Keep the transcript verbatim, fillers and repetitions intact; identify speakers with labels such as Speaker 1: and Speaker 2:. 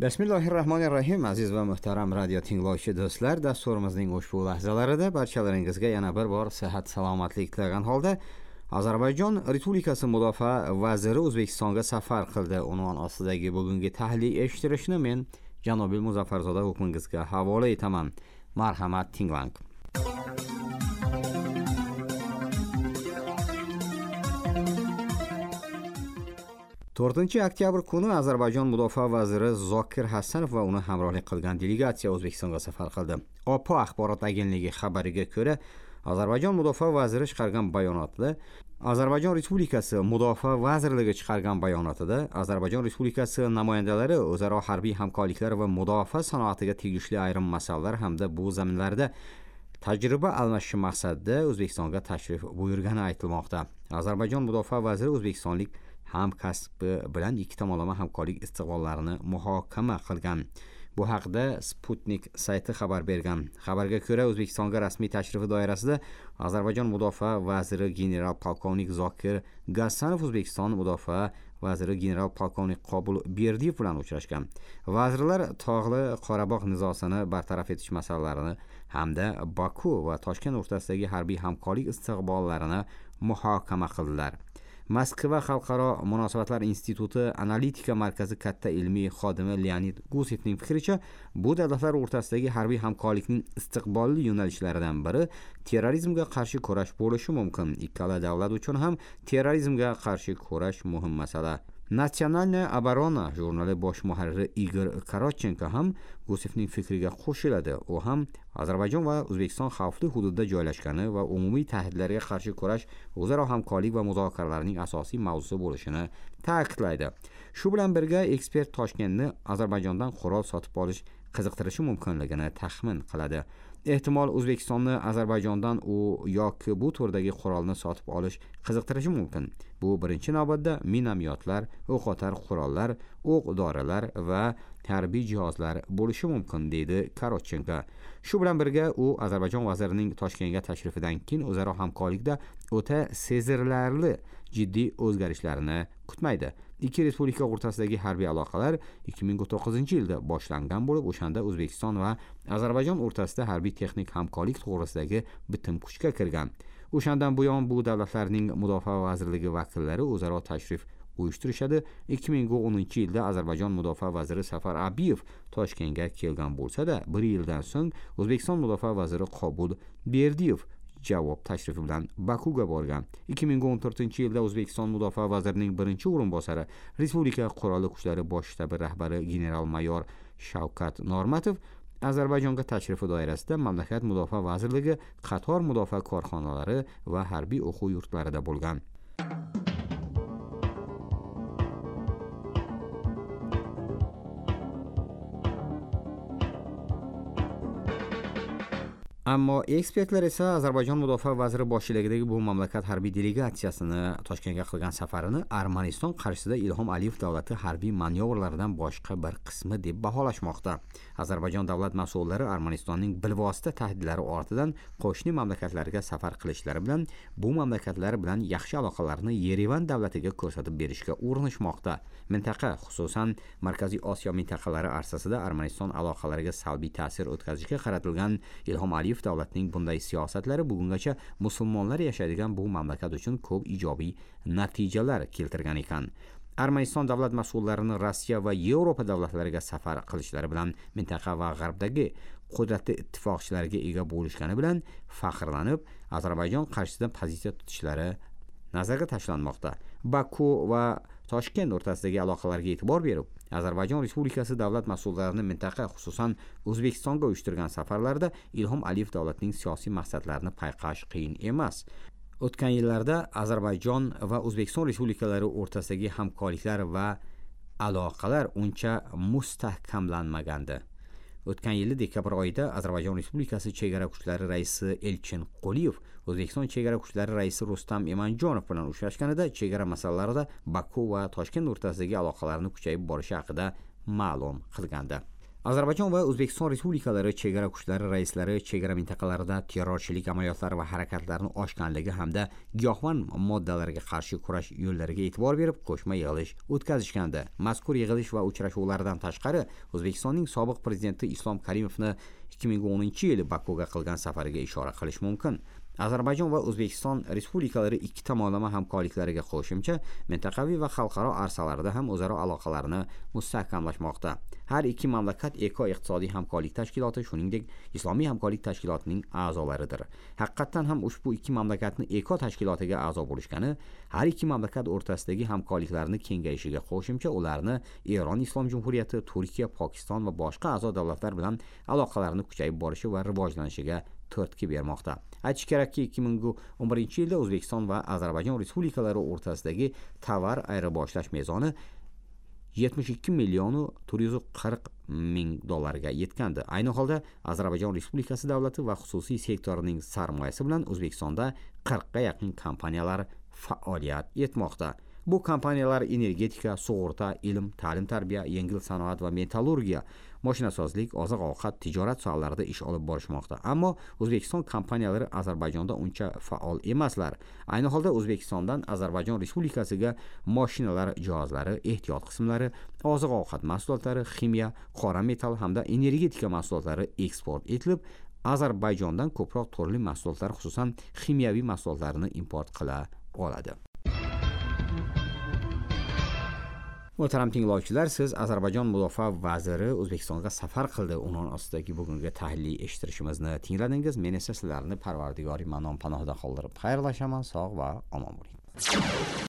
Speaker 1: Bismillahirrahmanirrahim aziz va muhtaram radio tinglovchi do'stlar, dasturimizning ushbu lahzalarida barchalaringizga yana bir bor sihat salomatlik tilagan holda Ozarbayjon Respublikasi mudofaa vaziri O'zbekistonga safar qildi unvon ostidagi bugungi tahliliy eshittirishni men Janobil Muzaffarzoda hukmingizga havola etaman. Marhamat, tinglang. to'rtinchi oktyabr kuni Ozarbayjon mudofaa vaziri Zokir Hasanov va uni hamrohlik qilgan delegatsiya O'zbekistonga safar qildi. O P axborot agentligi xabariga ko'ra, Ozarbayjon mudofaa vaziri chiqargan bayonotida Ozarbayjon Respublikasi Mudofaa vazirligi chiqargan bayonotida Ozarbayjon Respublikasi namoyandalari o'zaro harbiy hamkorliklar va mudofaa sanoatiga tegishli ayrim masalalar hamda bu zaminlarda tajriba almashish maqsadida O'zbekistonga tashrif buyurgani aytilmoqda. Ozarbayjon mudofaa vaziri o'zbekistonlik hamkasbi bilan ikki tomonlama hamkorlik istiqbollarini muhokama qilgan. Bu haqda Sputnik sayti xabar bergan. Xabarga ko'ra, O'zbekistonga rasmiy tashrifi doirasida Ozarbayjon mudofaa vaziri general polkovnik Zokir Gasanov O'zbekiston mudofaa vaziri general polkovnik Qobul Berdiyev bilan uchrashgan. Vazirlar Tog'li Qorabog' nizosini bartaraf etish masalalarini hamda Baku va Toshkent o'rtasidagi harbiy hamkorlik istiqbollarini muhokama qildilar. Moskva Xalqaro munosabatlar instituti analitika markazi katta ilmiy xodimi Leonid Gusevning fikricha, bu davlatlar o'rtasidagi harbiy hamkorlikning istiqbolli yo'nalishlaridan biri terrorizmga qarshi kurash bo'lishi mumkin. Ikkala davlat uchun ham terrorizmga qarshi kurash muhim masala. Naциональная оборона jurnali bosh muharriri Igor Korotchenko ham Gusevning fikriga qo'shiladi. U ham Ozarbayjon va O'zbekiston xavfli hududda joylashgani va umumiy tahdidlarga qarshi kurash o'zaro hamkorlik va muzokaralarning asosiy mavzusi bo'lishini ta'kidlaydi. Shu bilan birga ekspert Toshkentni Ozarbayjondan qurol sotib olish qiziqtirishi mumkinligini taxmin qiladi. Ehtimol O'zbekistonni Ozarbayjondan u yoki bu turdagi qurolni sotib olish qiziqtirishi mumkin. Bu birinchi navbatda minomyotlar, o'qotar qurollar, o'q-dorilar va harbiy jihozlar bo'lishi mumkin, deydi Korotchenko. Shu bilan birga u Ozarbayjon vazirining Toshkentga tashrifidan keyin o'zaro hamkorlikda o'ta sezirlarli jiddiy o'zgarishlarni kutmaydi. Ikki respublika o'rtasidagi harbiy aloqalar ikki ming to'qqizinchi yilda boshlangan bo'lib, o'shanda O'zbekiston va Ozarbayjon o'rtasida harbiy texnik hamkorlik to'g'risidagi bitim kuchga kirgan. O'shandan buyon bu davlatlarning mudofaa vazirligi vakillari o'zaro tashrif uyushtirishadi. ikki ming o'ninchi yilda Ozarbayjon mudofaa vaziri Safar Abiyev Toshkentga kelgan bo'lsa-da, bir yildan so'ng O'zbekiston mudofaa vaziri Qobul Berdiyev javob tashrifi bilan Bakuga borgan. ikki ming o'n to'rtinchi yilda O'zbekiston mudofaa vazirining birinchi o'rinbosari, Respublika Qurolli Kuchlari bosh shtabi rahbari general-mayor Shavkat Normatov Ozarbayjonga tashrifi doirasida mamlakat mudofaa vazirligi qator mudofaa korxonalari va harbiy o'quv yurtlarida bo'lgan. Ammo ekspertlar esa Ozarbayjon mudofaa vaziri boshchiligidagi bu mamlakat harbiy delegatsiyasini Toshkentga qilgan safarini Armaniston qarshisida Ilhom Aliyev davlati harbiy manyovrlaridan boshqa bir qismi deb baholashmoqda. Ozarbayjon davlat mas'ullari Armanistonning bilvosita tahdidlari ortidan qo'shni mamlakatlarga safar qilishlari bilan bu mamlakatlar bilan yaxshi aloqalarni Yerevan davlatiga ko'rsatib berishga urinishmoqda. Mintaqa, xususan Markaziy Osiyo mintaqalari arsasida Armaniston aloqalariga salbiy ta'sir o'tkazishga qaratilgan Ilhom Aliyev davlatining bunday siyosatlari bugungacha musulmonlar yashaydigan bu mamlakat uchun ko'p ijobiy natijalar keltirgan ekan. Armaniston davlat mas'ullarini Rossiya va Yevropa davlatlariga safar qilishlari bilan mintaqa va g'arbdagi qudratli ittifoqchilarga ega bo'lishgani bilan faxrlanib, Ozarbayjon qarshisida pozitsiya tutishlari nazarga tashlanmoqda. Baku va Toshkent o'rtasidagi aloqalarga e'tibor berib, Ozarbayjon Respublikasi davlat mas'ullarini mintaqa, xususan O'zbekistonga uyushtirgan safarlarida Ilhom Aliyev davlatining siyosiy maqsadlarini payqash qiyin emas. O'tgan yillarda Ozarbayjon va O'zbekiston respublikalari o'rtasidagi hamkorliklar va aloqalar uncha mustahkamlanmagandi. O'tgan yili dekabr oyida Ozarbayjon Respublikasi chegara kuchlari raisi Elchin Quliyev O'zbekiston chegara kuchlari raisi Rustam Imanjonov bilan uchrashganida chegara masalalarida Baku va Toshkent o'rtasidagi aloqalarni kuchayib borishi haqida ma'lum qilgandi. Ozarbayjon va O'zbekiston Respublikalari chegara kuchlari raislari chegara mintaqalarida terrorchilik amaliyotlari va harakatlarini oshganligi hamda giyohvand moddalarga qarshi kurash yo'llariga e'tibor berib, qo'shma yig'ilish o'tkazishgandi. Mazkur yig'ilish va uchrashuvlardan tashqari O'zbekistonning sobiq prezidenti Islom Karimovni ikki ming o'ninchi yili Bakuga qilgan safariga ishora qilish mumkin. Ozarbayjon va O'zbekiston Respublikalari ikki tomonlama hamkorliklariga qo'shimcha mintaqaviy va xalqaro arsalarda ham o'zaro aloqalarni mustahkamlashmoqda. Har ikki mamlakat Eko iqtisodiy hamkorlik tashkiloti, shuningdek Islomiy hamkorlik tashkilotining a'zolaridir. Haqiqatan ham ushbu ikki mamlakatni Eko tashkilotiga a'zo bo'lishgani har ikki mamlakat o'rtasidagi hamkorliklarni kengayishiga qo'shimcha ularni Eron Islom Jumhuriyati, Turkiya, Pokiston va boshqa a'zo davlatlar bilan aloqalarni kuchayib borishi va rivojlanishiga turtki bermoqda. Aytish kerakki, ikki ming o'n birinchi yilda O'zbekiston va Ozarbayjon Respublikalari o'rtasidagi tovar ayirboshlash mezoni yetmish ikki million to'rt yuz qirq ming dollarga yetgandi. Ayni holda Ozarbayjon Respublikasi davlati va xususiy sektorining sarmoyasi bilan O'zbekistonda qirqqa yaqin kompaniyalar faoliyat etmoqda. Bu kompaniyalar energetika, sug'urta, ilm, ta'lim-tarbiya, yengil sanoat va metallurgiya, mashinasozlik, oziq-ovqat, tijorat sohalarida ish olib borishmoqda. Ammo O'zbekiston kompaniyalari Ozarbayjonda uncha faol emaslar. Ayni holda O'zbekistondan Ozarbayjon Respublikasiga mashinalar jihozlari, ehtiyot qismlari, oziq-ovqat mahsulotlari, ximiya, qora metall hamda energetika mahsulotlari eksport etilib, Ozarbayjondan ko'proq turli mahsulotlar, xususan ximiyaviy mahsulotlarni import qila oladi. Muhtaram tinglovchilar, siz Ozarbayjon mudofaa vaziri O'zbekistonga safar qildi unvon ostidagi bugungi tahliliy eshittirishimizni tingladingiz. Men esa sizlarni Parvardigori Mannon panohida qoldirib xayrlashaman. Sog' va omon bo'ling.